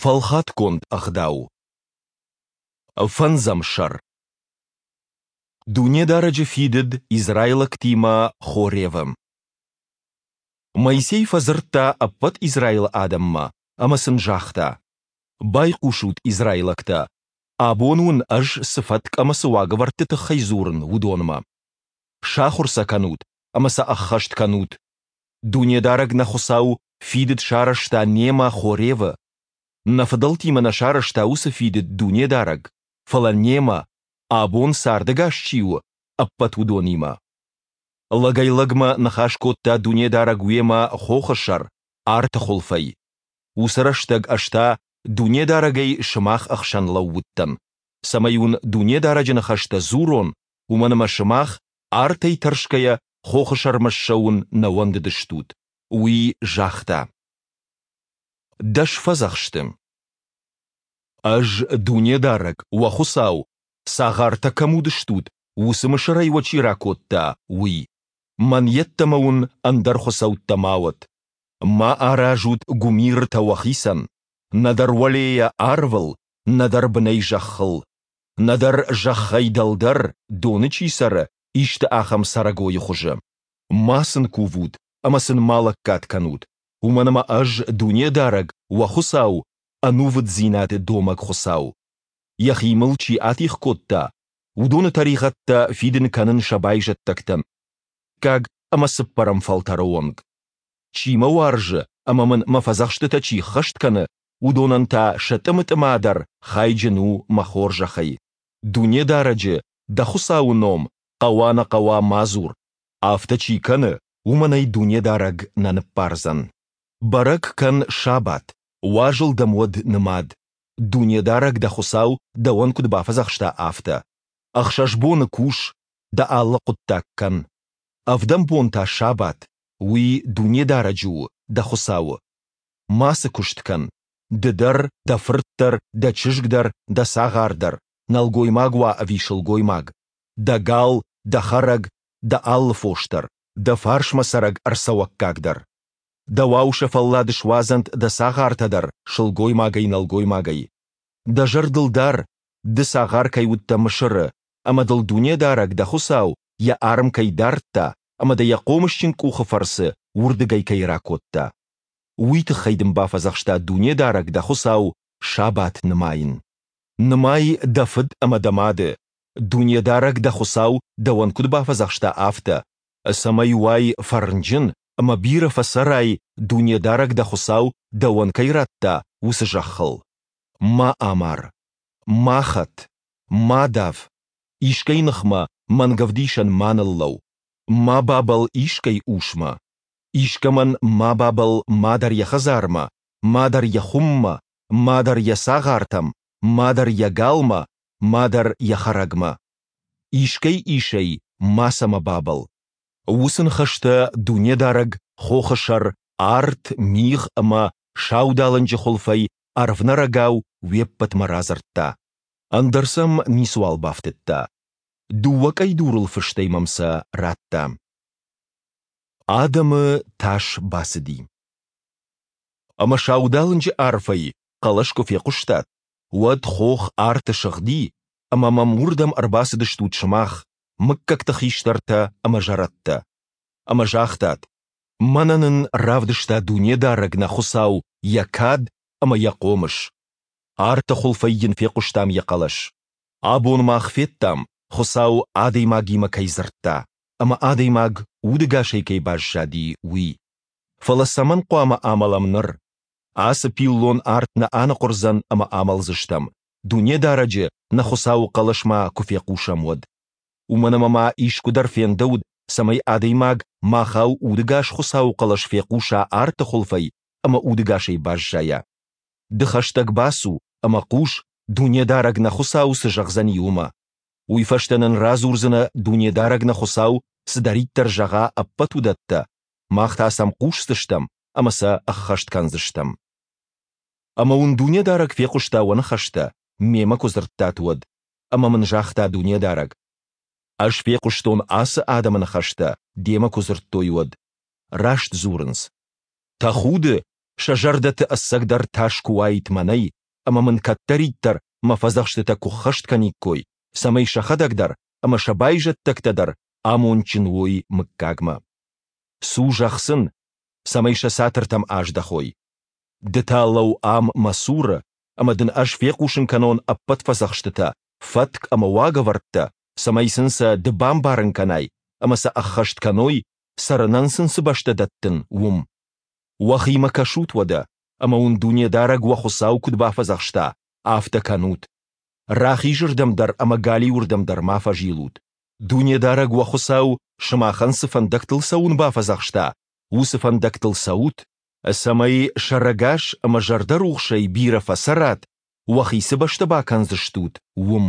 Фӕлхатгонд ӕгъдау. Фӕндзӕм сӕр. Дунедарӕджы фидыд израилӕгтимӕ Хоревы. Моисей фӕдзырдта ӕппӕт Израилы адӕммӕ ӕмӕ сын загъта: Байхъусут, израилӕгтӕ, абон уын ӕз цы фӕтк ӕмӕ цы уагӕвӕрдты тыххӕй дзурын, уыдонмӕ. Сахуыр сӕ кӕнут ӕмӕ сӕ ӕххӕст кӕнут. Дунедарӕг нӕ Хуыцау фидыд сарӕзта немӕ Хоревы. Нӕ фыдӕлтимӕ нӕ сарӕзта уыцы фидыд Дунедарӕг, фӕлӕ немӕ, абон цардӕгас чи у, ӕппӕт уыдонимӕ. Лӕгӕй-лӕгмӕ ныхас кодта Дунедарӕг уемӕ хохы сӕр, арты хуылфӕй. Уыцы рӕстӕг ӕз та Дунедарӕгӕй сымах ӕхсӕн лӕууыдтӕн, цӕмӕй уын Дунедарӕджы ныхӕстӕ дзурон, уымӕн ӕмӕ сымах, артӕй тӕрсгӕйӕ, хохы сӕрмӕ ссӕуын нӕ уӕндыдыстут. Уый загъта: Дӕс фӕдзӕхсты. Ӕз, Дунедарӕг, уӕ Хуыцау, цагъартӕ кӕм уыдыстут, уыцы Мысырӕй уӕ чи ракодта, уый. Мӕн йеддӕмӕ уын ӕндӕр хуыцӕуттӕ ма уӕд. Ма аразут гуымиртӕ уӕхицӕн, нӕдӕр уӕлейӕ арвыл, нӕдӕр бынӕй зӕххыл, нӕдӕр зӕххӕй дӕлдӕр, доны чи цӕры, исты ахӕм цӕрӕгойы хуызы. Ма сын кувут ӕмӕ сын ма лӕггад кӕнут, уымӕн ӕмӕ Ӕз, Дунедарӕг, уӕ Хуыцау, ӕнувыддзинады домӕг Хуыцау. Йӕхи мыл чи атигъ кодта, уыдоны тӕригъӕдтӕ фидын кӕнын сӕ байзӕддӕгтӕн дыккаг ӕмӕ цыппӕрӕм фӕлтӕры онг. Чи мӕ уарзы ӕмӕ мын мӕ фӕдзӕхстытӕ чи ххӕст кӕны, уыдонӕн та сӕ тъымы-тъыма дӕр хайджын у мӕ хорзӕхӕй. Дунедарӕджы, дӕ Хуыцауы ном, хъӕуа-нӕ хъӕуа ма дзур, афтӕ чи кӕны, уымӕн ӕй Дунедарӕг нӕ ныббардзӕн. Бӕрӕг кӕн сабат, уазыл дӕм уӕд нымад, Дунедарӕг дӕ Хуыцау дӕуӕн куыд бафӕдзӕхста, афтӕ. Ӕхсӕз боны кус, дӕ алы хъуыддаг кӕн. Ӕвдӕм бон та сабат, уый Дунедарӕджы у, дӕ Хуыцауы. Мацы куыст кӕн, ды дӕр, дӕ фырт дӕр, дӕ чызг дӕр, дӕ цагъар дӕр, нӕлгоймаг уа ӕви сылгоймаг, дӕ гал, дӕ хӕрӕг, дӕ алы фос дӕр, дӕ фарсмӕ цӕрӕг ӕрцӕуӕггаг дӕр. Дӕуау сӕ фӕллад суадзӕнт дӕ цагъартӕ дӕр сылгоймагӕй-нӕлгоймагӕй. Дӕ зӕрдыл дар, ды цагъар кӕй уыдтӕ Мысыры, ӕмӕ дыл Дунедарӕг, дӕ Хуыцау, йӕ арм кӕй дардта ӕмӕ дӕ йӕ хъомысджын къухы фӕрцы уырдыгӕй кӕй ракодта. Уый тыххӕй дын бафӕдзӕхста Дунедарӕг, дӕ Хуыцау, сабат нымайын. Нымай дӕ фыд ӕмӕ дӕ мады, Дунедарӕг дӕ Хуыцау дӕуӕн куыд бафӕдзӕхста, афтӕ, цӕмӕй уай фӕрнджын ӕмӕ бирӕ фӕцӕрай, Дунедарӕг дӕ Хуыцау дӕуӕн кӕй радта, уыцы зӕххыл. Ма амар. Ма хӕт. Ма дав. Искӕй ныхмӕ мӕнгӕвдисӕн ма ныллӕу. Ма бабӕлл искӕй усмӕ. Искӕмӕн ма бабӕлл мадӕр йӕ хӕдзармӕ, мадӕр йӕ хуыммӕ, мадӕр йӕ цагъартӕм, мадӕр йӕ галмӕ, мадӕр йӕ хӕрӕгмӕ. Искӕй исӕй мацӕмӕ бабӕлл. Уыцы ныхӕстӕ Дунедарӕг хохы сӕр арт, мигъ ӕмӕ саудалынджы хуылфӕй ӕрвнӕрӕгау уе ппӕтмӕ радзырдта. Ӕндӕр сӕм ницыуал бафтыдта. Дыууӕ къӕйдурыл фыстӕй мӕм сӕ радта. Адӕмы тас бацыди. Ӕмӕ саудалынджы арфӕй хъӕлӕс куы фехъуыстат, уӕд хох арты сыгъди, ӕмӕ мӕм уырдӕм ӕрбацыдыстут сымах, мыггӕгты хистӕртӕ ӕмӕ зӕрӕдтӕ. Ӕмӕ загътат, мӕнӕ нын равдыста Дунедарӕг нӕ Хуыцау йӕ кад ӕмӕ йӕ хъомыс. Арты хуылфӕй йын фехъуыстам йӕ хъӕлӕс. Абон мах федтам, Хуыцау адӕймагимӕ кӕй дзырдта, ӕмӕ адӕймаг удӕгасӕй кӕй баззади, уый. Фӕлӕ цӕмӕн хъуамӕ амӕлӕм ныр? Ацы пиллон арт нӕ аныхъуырдзӕн ӕмӕ амӕлдзыстӕм, Дунедарӕджы, нӕ Хуыцауы хъӕлӕс ма куы фехъусӕм, уӕд. Уымӕн ӕмӕ ма искуыдӕр фендӕуыд, цӕмӕй адӕймаг махау удӕгас Хуыцауы хъӕлӕс фехъуса арты хуылфӕй ӕмӕ удӕгасӕй баззайа. Ды хӕстӕг бацу ӕмӕ хъус, Дунедарӕг нӕ Хуыцау цы зӕгъдзӕни, уымӕ. Уый фӕстӕ нын радзурдзынӕ, Дунедарӕг нӕ Хуыцау цыдӕриддӕр зӕгъа, ӕппӕт уыдӕттӕ, мах та сӕм хъусдзыстӕм ӕмӕ сӕ ӕххӕст кӕндзыстӕм. Ӕмӕ уын Дунедарӕг фехъуыста уӕ ныхӕстӕ, мемӕ куы дзырдтат, уӕд, ӕмӕ мын загъта Дунедарӕг: Ӕз фехъуыстон ацы адӕмы ныхӕстӕ, демӕ куы дзырдтой, уӕд. Раст дзурынц. Тӕхуды. Сӕ зӕрдӕты ӕцӕгдӕр тас куы уаид мӕнӕй, ӕмӕ мын кӕддӕриддӕр мӕ фӕдзӕхстытӕ куы ххӕст кӕниккой, цӕмӕй сӕхӕдӕг дӕр ӕмӕ сӕ байзӕддӕгтӕ дӕр амондджын уой мыггагмӕ. Цу, зӕгъ сын, цӕмӕй сӕ цатыртӕм аздӕхой. Ды та лӕуу ам мӕ цуры, ӕмӕ дын ӕз фехъусын кӕнон ӕппӕт фӕдзӕхстытӕ, фӕтк ӕмӕ уагӕвӕрдтӕ, цӕмӕй сын сӕ ды бамбарын кӕнай ӕмӕ сӕ ӕххӕст кӕной, цӕрынӕн сын цы бӕстӕ дӕттын, уым. Уӕхимӕ кӕсут уӕдӕ, ӕмӕ уын Дунедарӕг уӕ Хуыцау куыд бафӕдзӕхста, афтӕ кӕнут. Рахизырдӕм дӕр ӕмӕ галиуырдӕм дӕр ма фӕзилут. Дунедарӕг уӕ Хуыцау сымахӕн цы фӕндӕгтыл цӕуын бафӕдзӕхста, уыцы фӕндӕгтыл цӕут, цӕмӕй сӕрӕгас ӕмӕ зӕрдӕрухсӕй бирӕ фӕцӕрат, уӕхи цы бӕстӕ бакӕндзыстут, уым.